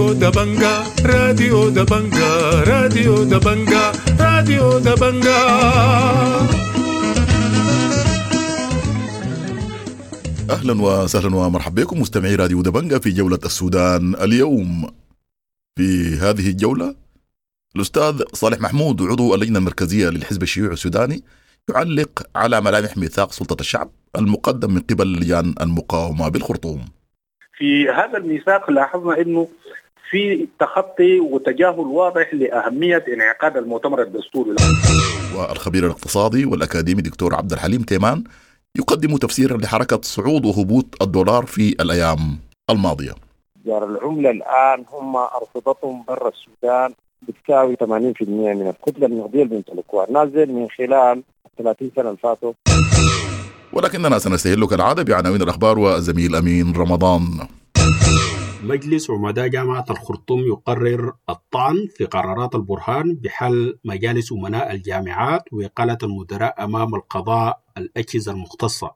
راديو دبنجا، راديو دبنجا، راديو دبنجا، راديو دبنجا. اهلا وسهلا ومرحبا بكم مستمعي راديو دبنجا في جولة السودان اليوم. في هذه الجولة الأستاذ صالح محمود عضو اللجنة المركزية للحزب الشيوعي السوداني يعلق على ملامح ميثاق سلطة الشعب المقدم من قبل لجان المقاومة بالخرطوم. في هذا الميثاق لاحظنا انه في تخطي وتجاهل واضح لاهمية انعقاد المؤتمر الدستوري. والخبير الاقتصادي والأكاديمي دكتور عبد الحليم تيمان يقدم تفسيرا لحركة صعود وهبوط الدولار في الأيام الماضية. تجار العملة الآن هم أرصدتهم برا السودان بتساوي 80% من الكتلة النقدية اللي بيمتلكوها الناس ديل من خلال 30 سنة اللي فاتوا. ولكننا سنستهل كالعادة بعناوين الأخبار والزميل أمين رمضان. مجلس عمداء جامعة الخرطوم يقرر الطعن في قرارات البرهان بحل مجالس أمناء الجامعات وإقالة المدراء أمام القضاء الأجهزة المختصة.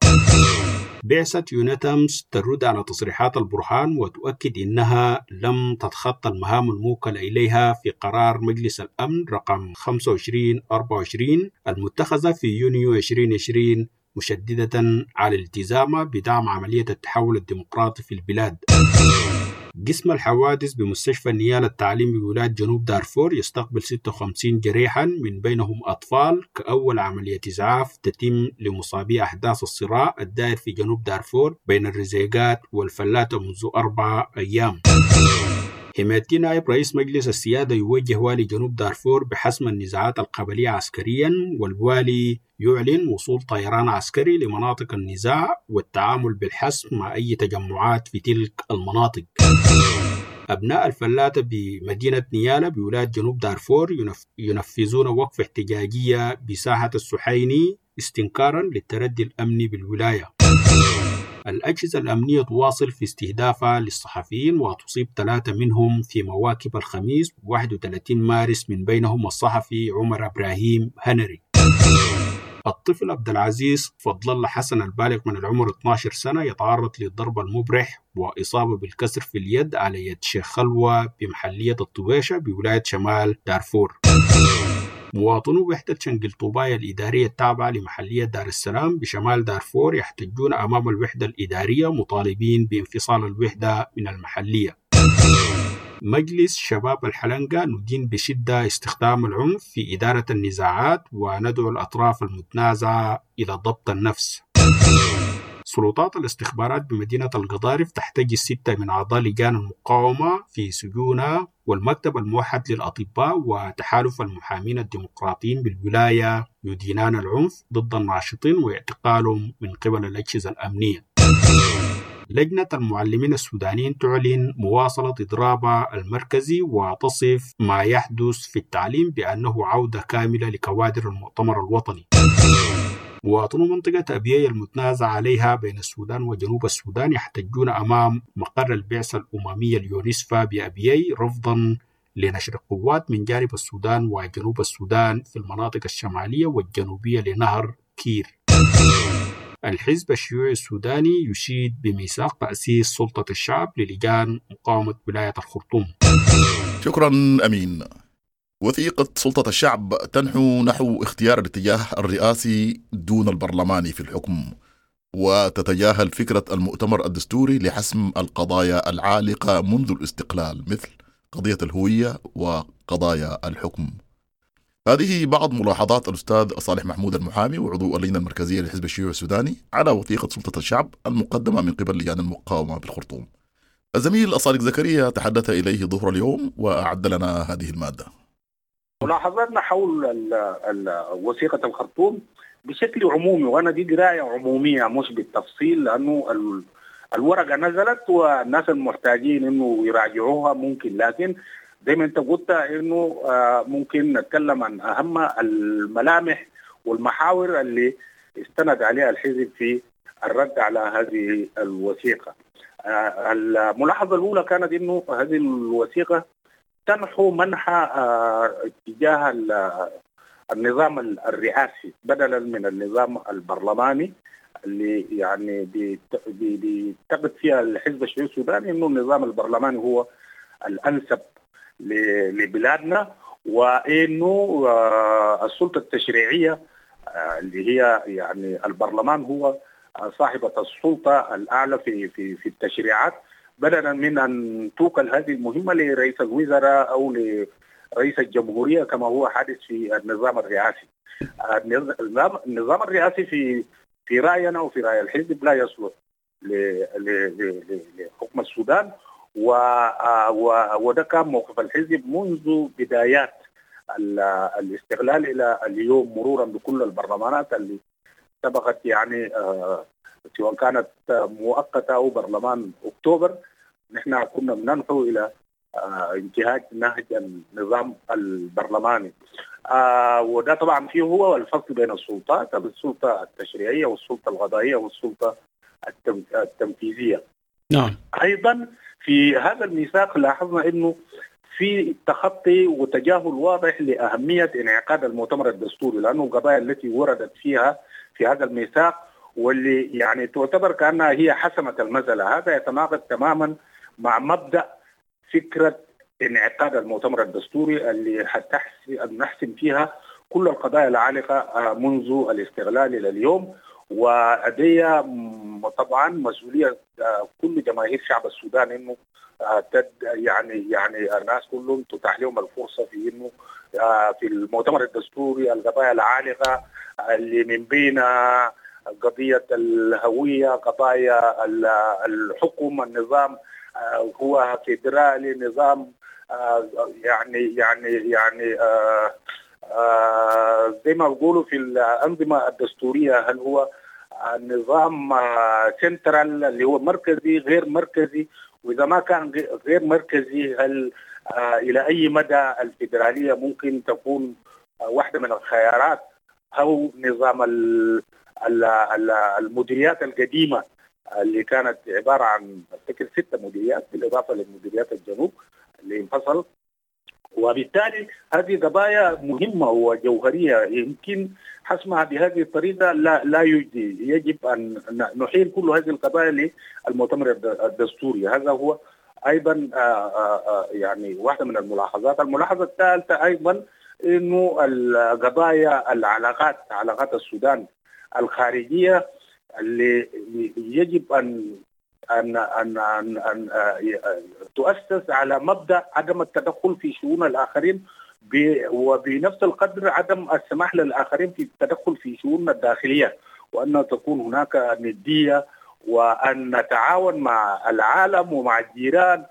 بعثة يونيتامس ترد على تصريحات البرهان وتؤكد إنها لم تتخطى المهام الموكلة إليها في قرار مجلس الأمن رقم 2524 المتخذة في يونيو 2020، مشددة على الالتزام بدعم عملية التحول الديمقراطي في البلاد. قسم الحوادث بمستشفى نيال التعليم بولاية جنوب دارفور يستقبل 56 جريحا من بينهم أطفال كأول عملية إسعاف تتم لمصابي أحداث الصراع الدائر في جنوب دارفور بين الرزيقات والفلاتة منذ 4 أيام. حميدتي نائب رئيس مجلس السيادة يوجه والي جنوب دارفور بحسم النزاعات القبلية عسكريا، والوالي يعلن وصول طيران عسكري لمناطق النزاع والتعامل بالحسم مع أي تجمعات في تلك المناطق. أبناء الفلاتة بمدينة نيالا بولاية جنوب دارفور ينفذون وقفة احتجاجية بساحة السحيني استنكارا للتردي الأمني بالولاية. الأجهزة الأمنية تواصل في استهدافها للصحفيين وتصيب 3 منهم في مواكب الخميس 31 مارس من بينهم الصحفي عمر إبراهيم هنري. الطفل عبد العزيز فضل الله حسن البالغ من العمر 12 سنة يتعرض للضرب المبرح وإصابة بالكسر في اليد على يد شيخ خلوة بمحلية الطويشة بولاية شمال دارفور. مواطنو وحدة شنقل طوبايا الإدارية التابعة لمحلية دار السلام بشمال دارفور يحتجون أمام الوحدة الإدارية مطالبين بانفصال الوحدة من المحلية. مجلس شباب الحلنقة ندين بشدة استخدام العنف في إدارة النزاعات وندعو الأطراف المتنازعة إلى ضبط النفس. سلطات الاستخبارات بمدينة القضارف تحتجز 6 من أعضاء لجان المقاومة في سجونها، والمكتب الموحد للأطباء وتحالف المحامين الديمقراطيين بالولاية يدينان العنف ضد الناشطين واعتقالهم من قبل الأجهزة الأمنية. لجنة المعلمين السودانيين تعلن مواصلة إضرابها المركزي وتصف ما يحدث في التعليم بأنه عودة كاملة لكوادر المؤتمر الوطني. مواطنو منطقة أبيي المتنازع عليها بين السودان وجنوب السودان يحتجون أمام مقر البعثة الأممية اليونسفا بأبيي رفضا لنشر قوات من جانب السودان وجنوب السودان في المناطق الشمالية والجنوبية لنهر كير. الحزب الشيوعي السوداني يشيد بميثاق تأسيس سلطة الشعب للجان مقاومة ولاية الخرطوم. شكرا أمين. وثيقة سلطة الشعب تنحو نحو اختيار الاتجاه الرئاسي دون البرلماني في الحكم، وتتجاهل فكرة المؤتمر الدستوري لحسم القضايا العالقة منذ الاستقلال مثل قضية الهوية وقضايا الحكم. هذه بعض ملاحظات الأستاذ صالح محمود المحامي وعضو اللجنة المركزية للحزب الشيوعي السوداني على وثيقة سلطة الشعب المقدمة من قبل لجان المقاومة بالخرطوم. الزميل الصادق زكريا تحدث إليه ظهر اليوم وأعد لنا هذه المادة. ملاحظاتنا حول وثيقة الخرطوم بشكل عمومي، وأنا دي قراية عمومية مش بالتفصيل لأنه الورقة نزلت والناس المحتاجين إنه يراجعوها ممكن، لكن زي ما أنت قلت إنه ممكن نتكلم عن أهم الملامح والمحاور اللي استند عليها الحزب في الرد على هذه الوثيقة. الملاحظة الأولى كانت إنه هذه الوثيقة تنحو منحى اتجاه النظام الرئاسي بدلا من النظام البرلماني اللي يعني بيعتقد فيها الحزب الشيوعي السوداني انه النظام البرلماني هو الأنسب لبلادنا، وإنه السلطة التشريعية اللي هي يعني البرلمان هو صاحبة السلطة الأعلى في في في التشريعات، بدلا من أن توكل هذه المهمة لرئيس الوزراء أو لرئيس الجمهورية كما هو حادث في النظام الرئاسي. النظام الرئاسي في رأينا وفي رأي الحزب لا يصلح لحكم السودان، وده كان موقف الحزب منذ بدايات الاستقلال إلى اليوم، مرورا بكل البرلمانات اللي سبقت، يعني سواء كانت مؤقتة أو برلمان أكتوبر. نحن كنا بننحو إلى انتهاج نهج النظام البرلماني، وده طبعا فيه هو الفصل بين السلطات، السلطة التشريعية والسلطة القضائية والسلطة التنفيذية. نعم. أيضا في هذا الميثاق لاحظنا أنه في تخطي وتجاهل واضح لأهمية انعقاد المؤتمر الدستوري، لأنه القضايا التي وردت فيها في هذا الميثاق واللي يعني تعتبر كأنها هي حسمت المسألة، هذا يتناقض تماما مع مبدأ فكرة انعقاد المؤتمر الدستوري اللي نحسم فيها كل القضايا العالقة منذ الاستغلال إلى اليوم. ودي طبعا مسؤولية كل جماهير شعب السودان انه يعني الناس كلهم تتاح لهم الفرصة في انه في المؤتمر الدستوري القضايا العالقة اللي من بين قضية الهوية، قضايا الحكم، النظام هو فيدرالي، نظام يعني يعني يعني زي ما بيقولوا في الأنظمة الدستورية، هل هو النظام سنترال اللي هو مركزي غير مركزي، وإذا ما كان غير مركزي هل إلى أي مدى الفيدرالية ممكن تكون واحدة من الخيارات، أو نظام المديريات القديمة اللي كانت عبارة عن أفتكر 6 مديريات بالإضافة لمديريات الجنوب اللي انفصل. وبالتالي هذه قضايا مهمة وجوهرية يمكن حسمها بهذه الطريقة لا يجدي، يجب أن نحيل كل هذه القضايا للمؤتمر الدستوري. هذا هو أيضا يعني واحدة من الملاحظات. الملاحظة الثالثة أيضا أنه القضايا العلاقات، علاقات السودان الخارجية اللي يجب أن أن أن أن, أن تؤسس على مبدأ عدم التدخل في شؤون الآخرين، وبنفس القدر عدم السماح للآخرين في التدخل في شؤوننا الداخلية، وأن تكون هناك ندية، وأن نتعاون مع العالم ومع الجيران،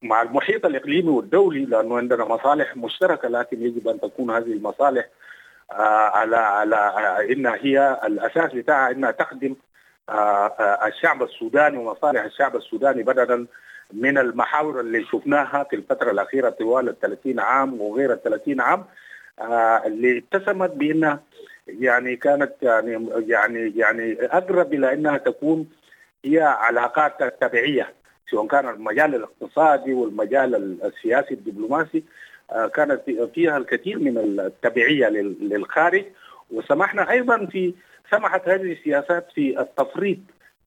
مع المحيط الإقليمي والدولي، لأنه عندنا مصالح مشتركة، لكن يجب أن تكون هذه المصالح على إنها هي الأساس بتاعها إنها تخدم الشعب السوداني ومصالح الشعب السوداني، بدلا من المحاور اللي شفناها في الفترة الأخيرة طوال 30 عام وغير 30 عام، اللي اتسمت بأنها يعني كانت يعني يعني يعني أقرب إلى أنها تكون هي علاقات تبعية، سواء كان المجال الاقتصادي والمجال السياسي الدبلوماسي، كانت فيها الكثير من التبعية للخارج. وسمحنا أيضا سمحت هذه السياسات في التفريط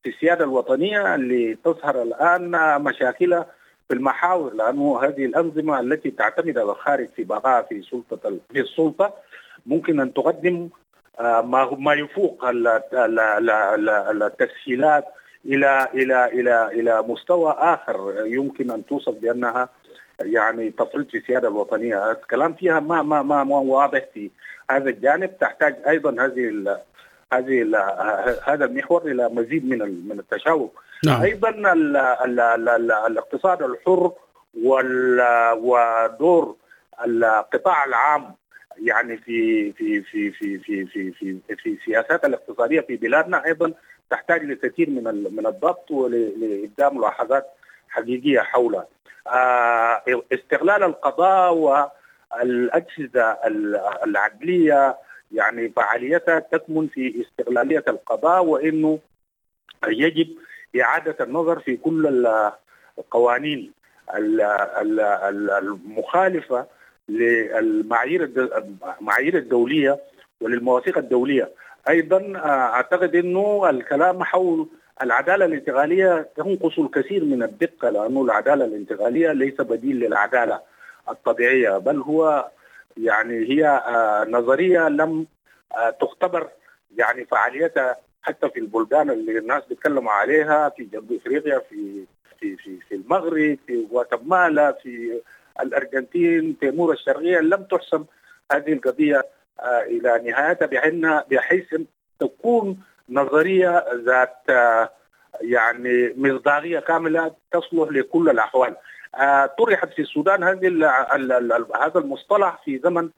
في السيادة الوطنية اللي تظهر الآن مشاكلها في المحاور، لأنه هذه الأنظمة التي تعتمد على الخارج في بقاء في السلطة ممكن أن تقدم ما يفوق التسهيلات إلى إلى إلى إلى مستوى آخر يمكن أن توصف بأنها يعني تفريط في السيادة الوطنية. الكلام فيها ما ما ما ما واضح في هذا الجانب، تحتاج أيضا هذه هذه هذا المحور الى مزيد من التشاور. نعم. ايضا ال ال ال الاقتصاد الحر ودور القطاع العام يعني في في في في في في في في السياسات الاقتصادية في بلادنا ايضا تحتاج لكثير من الضبط ولابداء ملاحظات حقيقية حولها. استغلال القضاء والاجهزة العدليه يعني فعاليتها تكمن في استغلالية القضاء، وإنه يجب إعادة النظر في كل القوانين المخالفة للمعايير الدولية وللمواثيق الدولية. أيضا أعتقد أنه الكلام حول العدالة الانتقالية تنقص الكثير من الدقة، لأنه العدالة الانتقالية ليس بديل للعدالة الطبيعية، بل هو يعني هي نظرية لم تختبر يعني فعاليتها حتى في البلدان اللي الناس بيتكلموا عليها في جنوب افريقيا، في في في في المغرب، في غواتيمالا، في الارجنتين، تيمور الشرقية، لم تحسم هذه القضية الى نهايتها بحيث تكون نظرية ذات يعني مصداقية كاملة تصلح لكل الاحوال. طرحت في السودان هذا المصطلح في زمن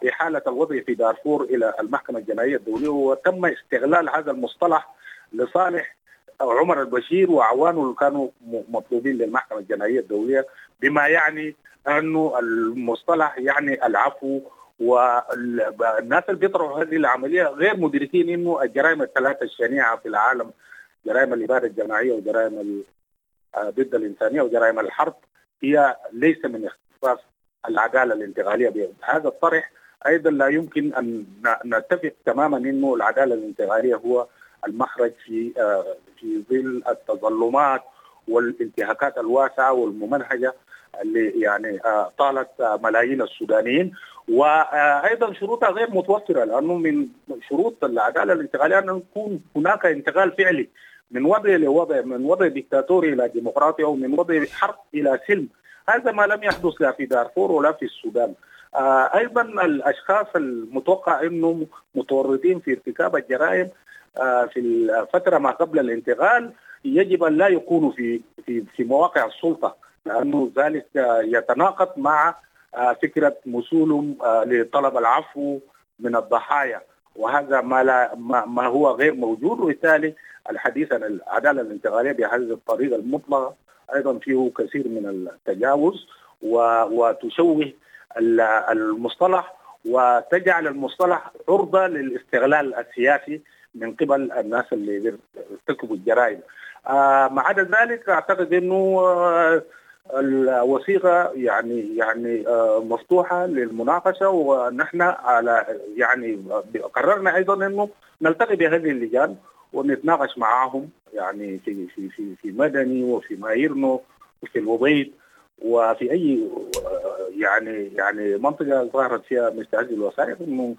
إحالة الوضع في دارفور إلى المحكمة الجنائية الدولية، وتم استغلال هذا المصطلح لصالح عمر البشير وأعوانه اللي كانوا مطلوبين للمحكمة الجنائية الدولية، بما يعني أنه المصطلح يعني العفو. والناس اللي بيطرحوا هذه العملية غير مدركين أنه الجرائم الثلاثة الشنيعة في العالم، جرائم الإبادة الجماعية وجرائم ضد الإنسانية وجرائم الحرب، هي ليس من اختصاص العدالة الانتقالية. هذا الطرح أيضا لا يمكن أن نتفق تماما أنه العدالة الانتقالية هو المخرج في ظل التظلمات والانتهاكات الواسعة والممنهجة اللي يعني طالت ملايين السودانيين، وأيضا شروطها غير متوفرة، لأنه من شروط العدالة الانتقالية أن يكون هناك انتقال فعلي من وضع لوضع، من وضع ديكتاتوري إلى ديمقراطي، أو من وضع حرب إلى سلم. هذا ما لم يحدث لا في دارفور ولا في السودان. أيضا الأشخاص المتوقع أنهم متورطين في ارتكاب الجرائم في الفترة ما قبل الانتقال يجب أن لا يكونوا في في في مواقع السلطة، لأنه ذلك يتناقض مع فكرة مسؤولهم لطلب العفو من الضحايا، وهذا ما هو غير موجود. وبالتالي الحديث عن العدالة الانتقالية بهذه الطريقة المطلقة أيضا فيه كثير من التجاوز، وتشوه المصطلح وتجعل المصطلح عرضة للاستغلال السياسي من قبل الناس اللي ارتكبوا الجرائم. ما عدا ذلك أعتقد أنه الوثيقة يعني مفتوحة للمناقشة، ونحن على يعني قررنا أيضا أنه نلتقي بهذه اللجان ونتناقش معهم، يعني في في في في مدني وفي مايرنو وفي الوبيد وفي اي يعني منطقة ظهرت فيها مثل هذه الوثائق. انه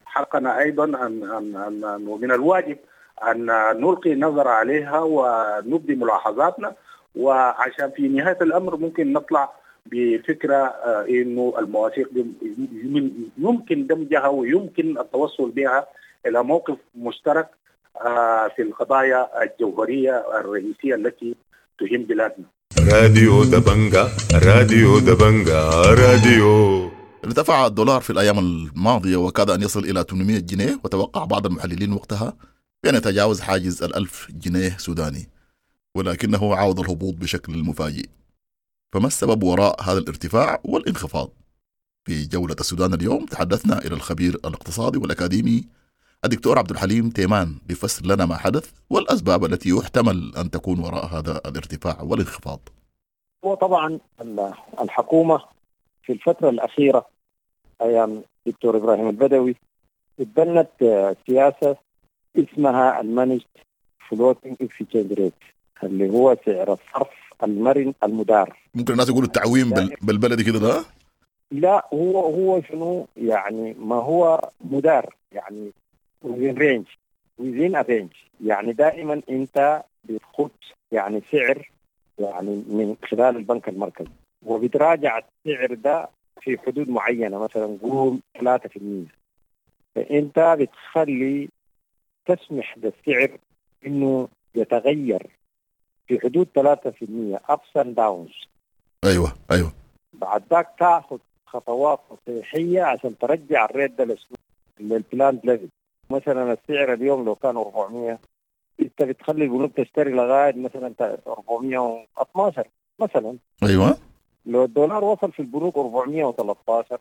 حقنا ايضا ان ان ان ومن الواجب ان نلقي نظره عليها ونبدي ملاحظاتنا، وعشان في نهاية الامر ممكن نطلع بفكره انه المواثيق دي يمكن دمجها ويمكن التوصل بها الى موقف مشترك في القضايا الجوهرية الرئيسية التي تهم بلادنا. راديو دبنجا، راديو دبنجا، راديو. ارتفع الدولار في الأيام الماضية وكاد أن يصل إلى 800 جنيه، وتوقع بعض المحللين وقتها بأن يتجاوز حاجز 1000 جنيه سوداني، ولكنه عاود الهبوط بشكل مفاجئ. فما السبب وراء هذا الارتفاع والانخفاض؟ في جولة السودان اليوم تحدثنا إلى الخبير الاقتصادي والأكاديمي الدكتور عبد الحليم تيمان ليفسر لنا ما حدث والأسباب التي يحتمل أن تكون وراء هذا الارتفاع والانخفاض. وطبعا الحكومة في الفترة الأخيرة أيام دكتور إبراهيم البدوي اتبنت سياسة اسمها ال managed floating exchange rate، اللي هو سعر الصرف المرن المدار. ممكن الناس يقولوا التعويم بالبلدي كده ده؟ لا، هو شنو يعني، ما هو مدار يعني within range، within a range، يعني دائما انت بتخط يعني سعر يعني من خلال البنك المركزي، وبتراجع السعر ده في حدود معينة، مثلا قول 3%، فانت بتخلي تسمح للسعر انه يتغير في حدود 3% ups and downs. ايوه بعد ذاك تاخذ خطوات تصحيحية عشان ترجع ال rate ده لل planned level. مثلا السعر اليوم لو كان 400، انت بتخلي البنوك تشتري لغاية مثلا 412 مثلا. ايوه، لو الدولار وصل في البنوك 413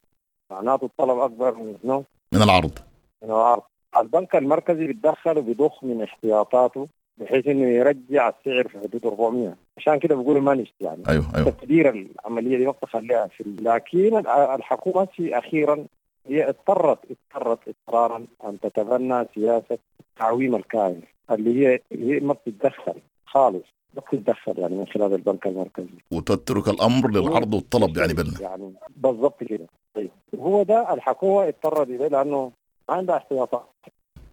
معناته الطلب اكبر من شنو؟ من العرض. من العرض. البنك المركزي بيتدخل وبيضخ من احتياطاته بحيث انه يرجع السعر في حدود 400، عشان كده بيقولوا managed يعني. ايوه تقدير العملية دي وقت خليها في. لكن الحكومة في اخيرا هي اضطرت اضطرارا ان تتبنى سياسة تعويم الكائن. اللي هي ما بتتدخل خالص، ما بتتدخل يعني من خلال البنك المركزي، وتترك الامر للعرض والطلب يعني يعني بالضبط كده. طيب هو ده الحكومة اضطرت اليه لانه ما عندها احتياطات.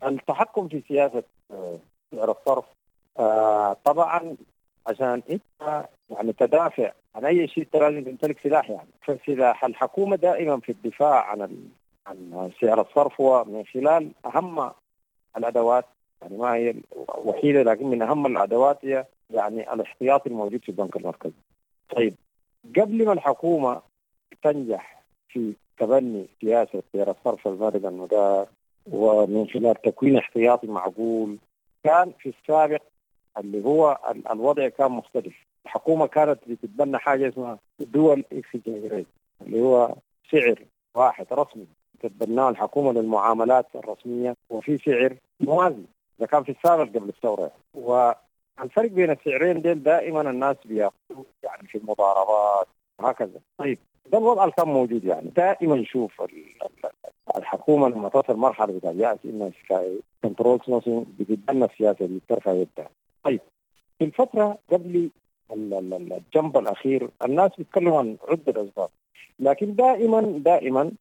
التحكم في سياسة سعر الصرف طبعا عشان انت يعني تدافع عن اي شيء انت لازم تمتلك سلاح يعني. فسلاح الحكومة دائما في الدفاع عن سعر الصرف هو من خلال اهم الادوات، يعني ما هي الوحيدة لكن من اهم الادوات هي يعني الاحتياطي الموجود في البنك المركزي. طيب قبل ما الحكومة تنجح في تبني سياسة سعر الصرف المرن المدار ومن خلال تكوين احتياطي معقول، كان في السابق اللي هو الوضع كان مختلف. الحكومة كانت بتتبنى حاجة اسمها dual exchange rate، اللي هو سعر واحد رسمي تتبناه الحكومة للمعاملات الرسمية، وفي سعر موازي. ده كان في السابق قبل الثورة. والفرق بين السعرين ديل دائما الناس بياخذوا يعني في المضاربات وهكذا. طيب ده الوضع اللي كان موجود يعني. دائما نشوف الحكومة لما تصل مرحلة بتاع يأس انها control nothing بتتبنى السياسة دي بترفع يدها. طيب في الفترة قبل ال jump الاخير الناس بيتكلموا عن عده اسباب، لكن دائما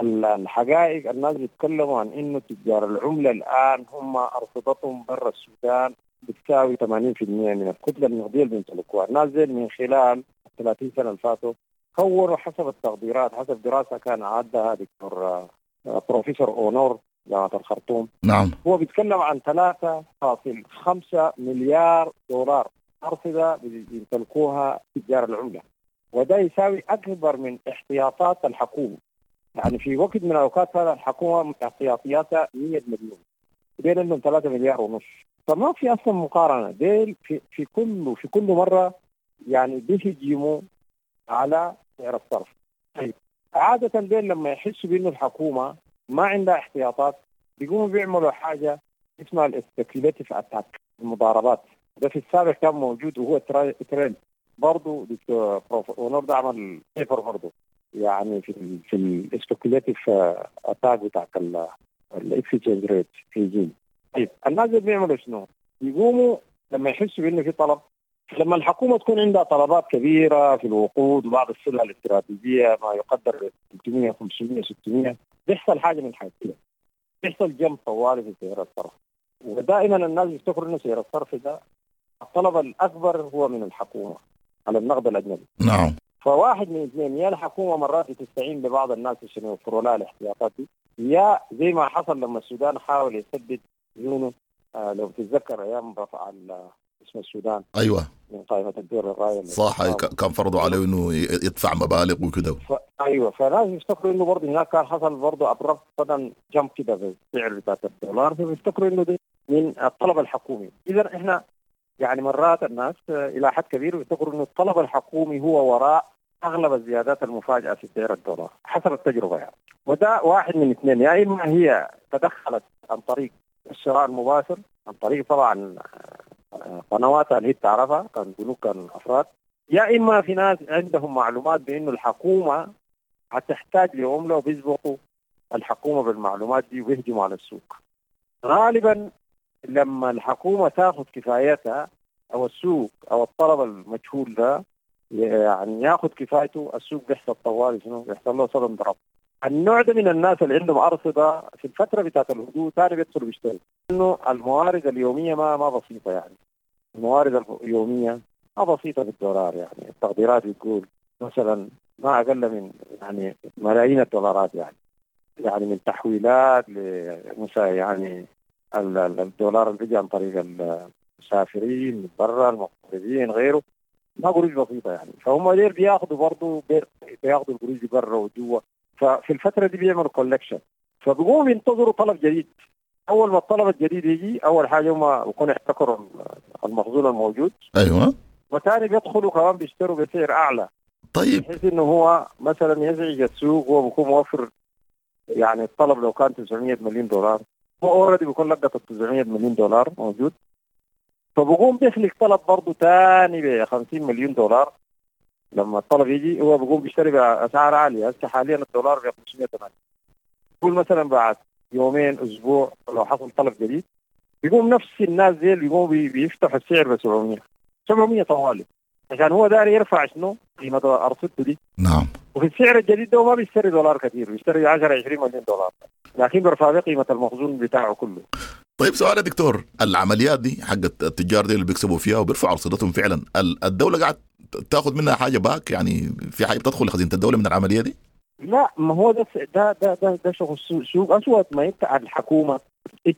الحقائق الناس بيتكلموا عن انه تجار العملة الان هم ارصدتهم برا السودان بتساوي 80% من الكتلة النقدية اللي بيمتلكوها. الناس دي من خلال 30 سنة اللي فاتوا كونوا حسب التقديرات، حسب دراسة كان عدها دكتور بروفيسور اونور جامعه الخرطوم، نعم، هو بيتكلم عن 3.5 مليار دولار ارصده بيمتلكوها تجار العملة، وده يساوي اكبر من احتياطات الحكومة. يعني في وقت من الاوقات هذا الحكومة احتياطياتها 100 مليون، ديل عندهم 3.5 مليار، فما في اصلا مقارنة. ديل في كل مرة يعني بيهجموا على سعر الصرف. طيب عادة ديل لما يحسوا بانه الحكومة ما عندها احتياطات بيقوموا بيعملوا حاجة اسمها ال speculative attack، المضاربات. ده في السابق كان موجود وهو ترند برضه. دكتور اونور ده عمل paper برضه يعني في ال speculative attack بتاع ال exchange rate regime. طيب الناس اللي بيعملوا شنو؟ بيقوموا لما يحسوا بانه في طلب، لما الحكومة تكون عندها طلبات كبيرة في الوقود وبعض السلع الاستراتيجية ما يقدر 300 500 600، بيحصل حاجة من حاجتين، بيحصل jump طوالي في سعر الصرف. ودائما الناس يفتكروا انه سعر الصرف ده الطلب الاكبر هو من الحكومة على النقد الاجنبي. نعم. فواحد من اثنين، يا الحكومة مرات تستعين ببعض الناس عشان يوفروا لها الاحتياطات دي، يا زي ما حصل لما السودان حاول يسدد ديونه، لو تتذكر ايام رفع اسم السودان، ايوه، من قائمة الدول الراية، صح، كان فرضوا عليه انه يدفع مبالغ وكده. ايوه، فالناس يفتكروا انه برضه هناك كان حصل برضه abrupt sudden jump كده في السعر بتاع الدولار، فبيفتكروا انه ده من الطلب الحكومي. اذا احنا يعني مرات الناس الى حد كبير بيفتكروا انه الطلب الحكومي هو وراء اغلب الزيادات المفاجئة في سعر الدولار حسب التجربة يعني. وده واحد من اثنين، يا اما هي تدخلت عن طريق الشراء المباشر عن طريق طبعا قنواتها اللي هي بتعرفها كان بنوك كان افراد، يا اما في ناس عندهم معلومات بانه الحكومة هتحتاج لعمله وبيسبقوا الحكومة بالمعلومات دي وبيهجموا على السوق. غالبا لما الحكومة تاخذ كفايتها او السوق او الطلب المجهول ده يعني ياخذ كفايته، السوق بيحصل طوالي شنو؟ بيحصل له sudden drop. النوع ده من الناس اللي عندهم ارصده في الفترة بتاعت الهدوء ثاني بيدخلوا بيشتروا، انه الموارد اليومية ما بسيطة يعني. الموارد اليومية ما بسيطة بالدولار يعني، التقديرات بتقول مثلا ما اقل من يعني ملايين الدولارات يعني من تحويلات يعني الدولار اللي بيجي عن طريق المسافرين من برا المغتربين غيره، ما قروش بسيطة يعني. فهم ديل بياخذوا برضه بياخذوا القروش برا وجوا، ففي الفترة دي بيعملوا collection، فبيقوموا ينتظروا طلب جديد. اول ما الطلب الجديد يجي اول حاجة هم بيكونوا يحتكروا المخزون الموجود، ايوه، وثاني بيدخلوا كمان بيشتروا بسعر اعلى. طيب، بحيث انه هو مثلا يزعج السوق وهو بيكون موفر يعني الطلب لو كان 900 مليون دولار هو already بيكون لقط 900 مليون دولار موجود، فبقوم بيخلق طلب برضه ثاني ب 50 مليون دولار. لما الطلب يجي هو بيقوم بيشتري باسعار عالية. هسه حاليا الدولار ب 508، قول مثلا بعد يومين اسبوع لو حصل طلب جديد بيقوم نفس الناس دي بيقوموا بيفتحوا السعر ب 700 طوالي، عشان هو داير يرفع شنو؟ قيمة ارصدته دي. نعم. وفي السعر الجديد ده ما بيشتري دولار كثير، بيشتري 10 20 مليون دولار، لكن بيرفع قيمة المخزون بتاعه كله. طيب سؤال يا دكتور، العمليات دي حقت التجار دي اللي بيكسبوا فيها وبيرفعوا ارصدتهم فعلا، الدولة قاعد تاخذ منها حاجة back؟ يعني في حاجة بتدخل لخزينه الدولة من العملية دي؟ لا، ما هو ده ده ده ده, ده شغل سوق اسود. ما انت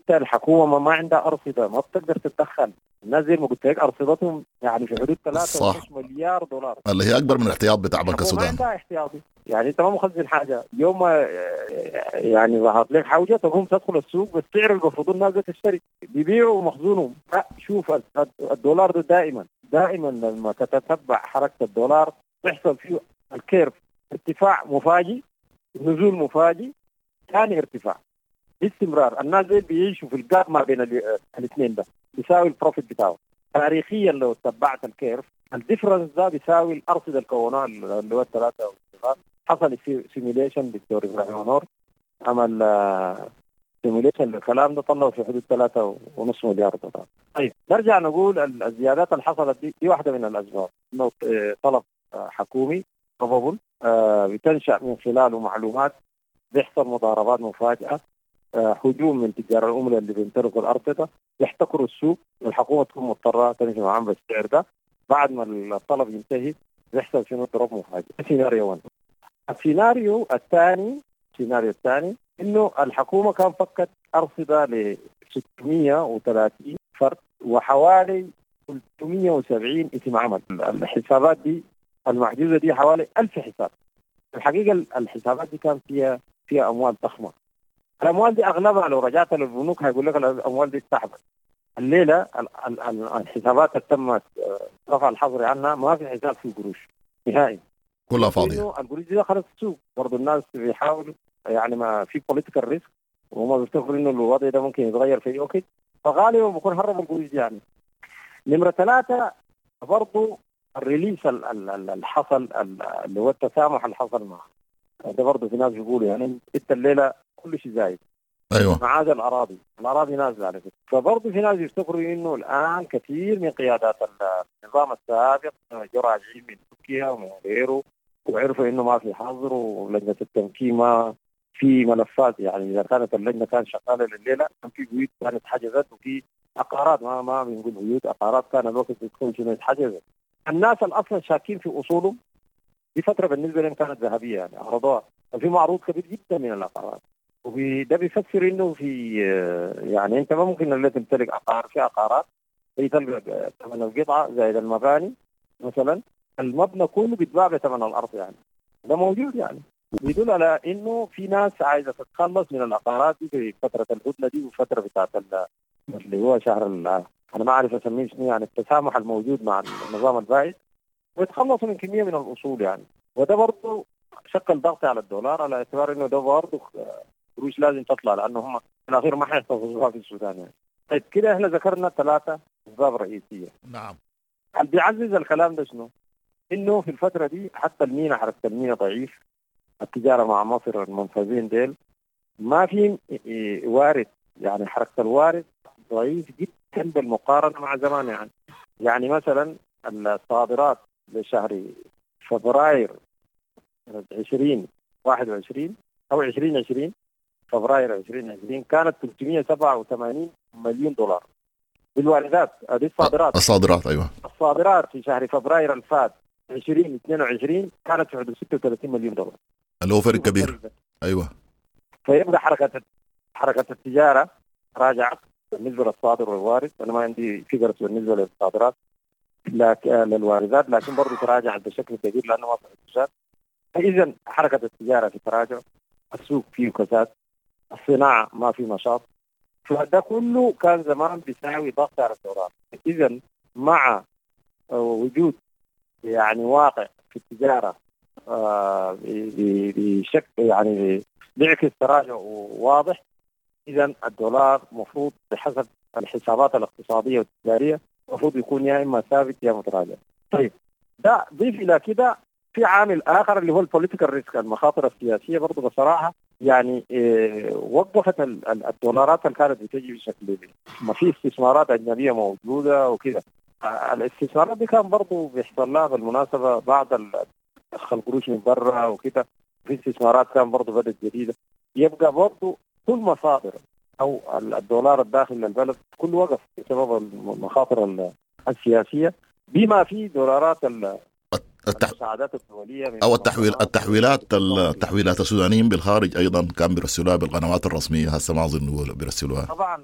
الحكومة ما عندها ارصده، ما بتقدر تتدخل. الناس زي ما قلت لك ارصدتهم يعني في حدود 3.5 مليار دولار، اللي هي اكبر من الاحتياط بتاع بنك السودان. ما عندها احتياطي، يعني انت ما مخزن حاجة. يوم ما يعني ظهرت لك حوجه تقوم تدخل السوق بالسعر اللي المفروض الناس تشتري، بيبيعوا مخزونهم. شوف الدولار ده دائما دائما لما تتتبع حركة الدولار تحصل فيه ال curve، ارتفاع مفاجئ، نزول مفاجئ، ثاني ارتفاع باستمرار. الناس دي بيعيشوا في ال gap ما بين الاثنين، ده بيساوي ال profit بتاعه تاريخيا. لو تبعت ال curve ال difference ده بيساوي الارصده اللي كونوها اللي هو الثلاثة. حصل simulation، دكتور ابراهيم نور عمل simulation للكلام ده، طلعوا في حدود 3.5 مليار دولار. طيب نرجع نقول الزيادات اللي حصلت دي واحدة من الاسباب، انه طلب حكومي probable بتنشا من خلاله معلومات، بيحصل مضاربات مفاجئة، هجوم من تجار العملة اللي بيمتلكوا الارصده، يحتكروا السوق، والحكومة تكون مضطرة تمشي معاهم بالسعر ده. بعد ما الطلب ينتهي بيحصل شنو؟ drop مفاجئ. سيناريو 1. السيناريو الثاني انه الحكومة كان فكت ارصده ل 630 فرد وحوالي 370 اسم عمل. الحسابات دي المحجوزه دي حوالي 1000 حساب. الحقيقة الحسابات دي كان فيها اموال ضخمة. الاموال دي اغلبها لو رجعت للبنوك هيقول لك الاموال دي اتسحبت. الليلة الحسابات اللي تم رفع الحظر عنها ما في حساب فيه قروش نهائي، كلها فاضية. القروش دي دخلت السوق. برضه الناس بيحاولوا يعني ما في political risk، وهم بيفتكروا انه الوضع ده ممكن يتغير في اي وقت، فغالبا بيكون هربوا القروش دي يعني. نمره 3 برضه ال release اللي حصل اللي هو التسامح اللي حصل معه ده، برضه في ناس بيقولوا يعني انت الليلة كل شيء زايد. ايوه، ما عدا الاراضي نازله على فكرة. فبرضه في ناس يفتكروا انه الان كثير من قيادات النظام السابق جو راجعين من تركيا ومن غيره، وعرفوا انه ما في حظر ولجنه التمكين ما في ملفات. يعني اذا كانت اللجنة كانت شغالة لليلة كان في بيوت كانت حجزت، وفي عقارات ما بنقول بيوت، عقارات كان الوقت بتكون شنو اتحجزت. الناس اللي اصلا شاكين في اصولهم دي فترة بالنسبة لهم كانت ذهبية يعني، عرضوها ففي معروض كبير جدا من العقارات. وده بيفسر انه في يعني انت ما ممكن اللي تمتلك عقار، في عقارات هي تلقى ثمن القطعة زائد المباني مثلا، المبنى كله بيتباع بثمن الارض يعني، ده موجود يعني. بيدل على انه في ناس عايزه تتخلص من العقارات دي في فترة الهدنة دي وفترة بتاعت اللي هو شهر انا ما اعرف اسميه شنو يعني، التسامح الموجود مع النظام البائد، ويتخلصوا من كمية من الاصول يعني. وده برضه شكل ضغط على الدولار على اعتبار انه ده برضه قروش لازم تطلع، لانه هم في الاخير ما حيحتفظوها في السودان يعني. طيب كده احنا ذكرنا 3 اسباب رئيسية. نعم. اللي بيعزز الكلام ده شنو؟ انه في الفترة دي حتى المينا، حركة المينا ضعيف، التجارة مع مصر المنفذين ديل ما في وارد، يعني حركة الوارد ضعيف جدا بالمقارنة مع زمان يعني. يعني مثلا الصادرات لشهر فبراير 2021 او 2020، فبراير 2020 كانت 387 مليون دولار بالواردات. هذه الصادرات. الصادرات ايوه. الصادرات في شهر فبراير الفات 2022 كانت في حدود 36 مليون دولار، اللي هو فرق كبير. ايوه. فيبقى حركة التجارة راجعت بالنسبة للصادر والوارد. انا ما عندي فكرة بالنسبة للصادرات لكن للواردات، لكن برضه تراجعت بشكل كبير لانه ما في اقتصاد. فاذا حركة التجارة في تراجع، السوق فيه كساد، الصناعة ما في نشاط، فده كله كان زمان بيساوي ضغط على الدولار. اذا مع وجود يعني واقع في التجارة بشكل يعني بيعكس تراجع واضح، اذا الدولار مفروض بحسب الحسابات الاقتصادية والتجاريه المفروض يكون يا اما ثابت يا متراجع. طيب ده ضيف الى كده في عامل اخر اللي هو ال political risk، المخاطر السياسية. برضه بصراحة يعني وقفت الدولارات اللي كانت بتجي بشكل ما في استثمارات اجنبية موجودة وكده. الاستثمارات دي كان برضه بيحصل لها بالمناسبة بعض دخل قروش من برا وكده، في استثمارات كان برضه بدت جديدة. يبقى برضه كل مصادر او الدولار الداخل للبلد كله وقف بسبب المخاطر السياسية، بما في دولارات المساعدات الدولية او التحويلات السودانيين بالخارج ايضا كان بيرسلوها بالقنوات الرسمية، هسه ما اظن بيرسلوها. طبعا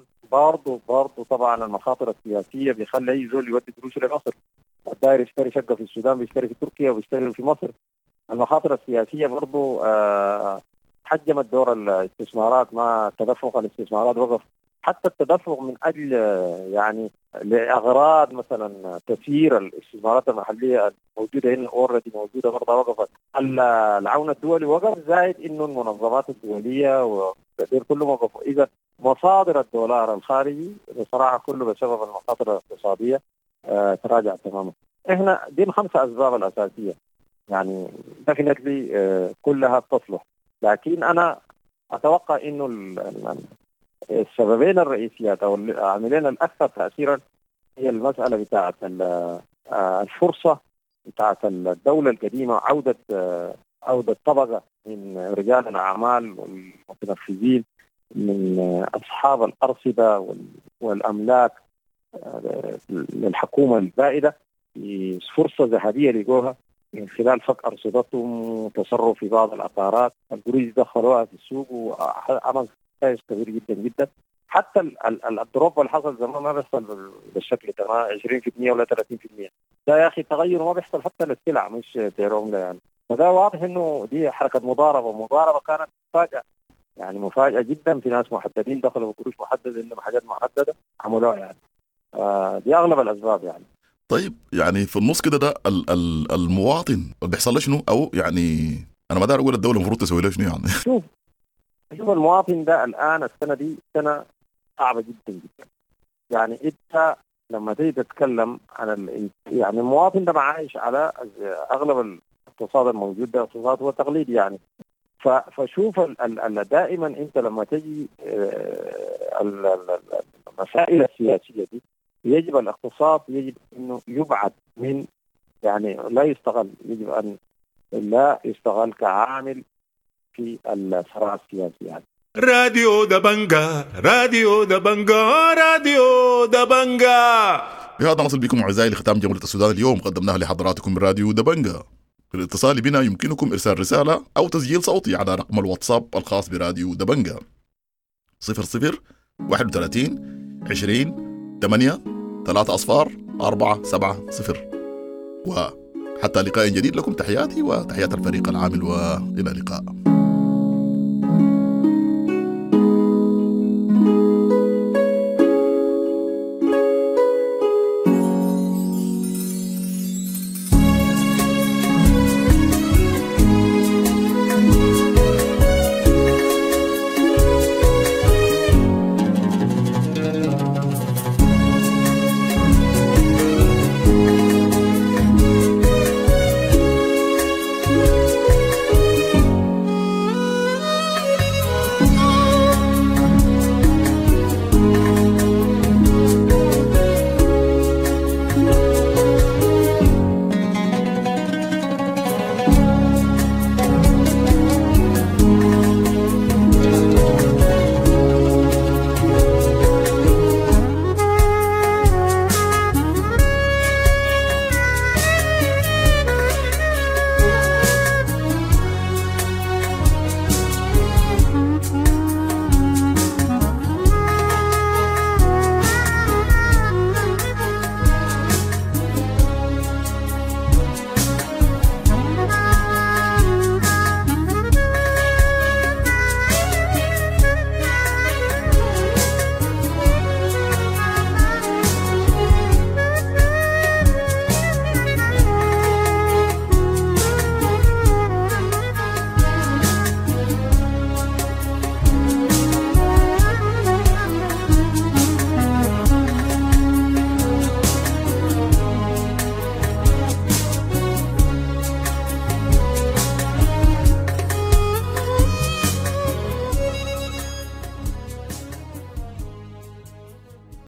برضه طبعا المخاطر السياسية بيخلي اي زول يودي قروشه لمصر، الداير يشتري شقه في السودان بيشتري في تركيا وبيشتري في مصر. المخاطر السياسية برضه حجمت دور الاستثمارات، ما تدفق الاستثمارات وقف، حتى التدفق من اجل يعني لاغراض مثلا تسيير الاستثمارات المحلية الموجودة هنا already موجودة برضه وقفت. العون الدولي وقف، زائد انه المنظمات الدولية والتأثير كله وقفوا. اذا مصادر الدولار الخارجي بصراحة كله بسبب المخاطر الاقتصادية تراجع تماما. احنا دي الخمسة اسباب الاساسية يعني definitely كلها تصلح، لكن انا اتوقع انه السببين الرئيسيات او العاملين الاكثر تاثيرا هي المسالة بتاعه الفرصة بتاعه الدولة القديمة، عوده طبقه من رجال الاعمال والمتنفذين من اصحاب الارصده والاملاك للحكومة البائده، فرصة ذهبية لقوها من خلال فك ارصدتهم وتصرف في بعض العقارات، القروش دخلوها في السوق وعمل نتائج كبير جدا جدا. حتى ال drop اللي حصل زمان ما بيحصل بالشكل ده، ما 20% ولا 30%، ده يا اخي تغير ما بيحصل حتى للسلع مش سعر عمله يعني. فده واضح انه دي حركة مضاربة كانت مفاجاة، يعني مفاجاة جدا، في ناس محددين دخلوا بقروش محددة عندهم حاجات محددة عملوها يعني. دي اغلب الاسباب يعني. طيب يعني في النص كده ده المواطن بيحصل له شنو؟ او يعني انا ما داير اقول الدولة المفروض تسوي له شنو يعني. شوف المواطن ده الان السنة دي سنة صعبة جدا جدا. يعني انت لما تيجي تتكلم عن يعني المواطن ده عايش على اغلب الاقتصاد الموجود ده اقتصاد هو تقليدي يعني. فشوف دائما انت لما تجي المسائل السياسية دي يجب الاقتصاد يجب انه يبعد من يعني لا يستغل، يجب ان لا يستغل كعامل في الصراع السياسي يعني. راديو دبنجا، راديو دبنجا، راديو دبنجا. بهذا نصل بكم اعزائي لختام جولة السودان اليوم قدمناها لحضراتكم من راديو دبنجا. للاتصال بنا يمكنكم ارسال رسالة او تسجيل صوتي على رقم الواتساب الخاص براديو دبنجا 00 31 20 8 3 0 4 7 0. وحتى لقاء جديد لكم تحياتي وتحيات الفريق العامل، والى اللقاء.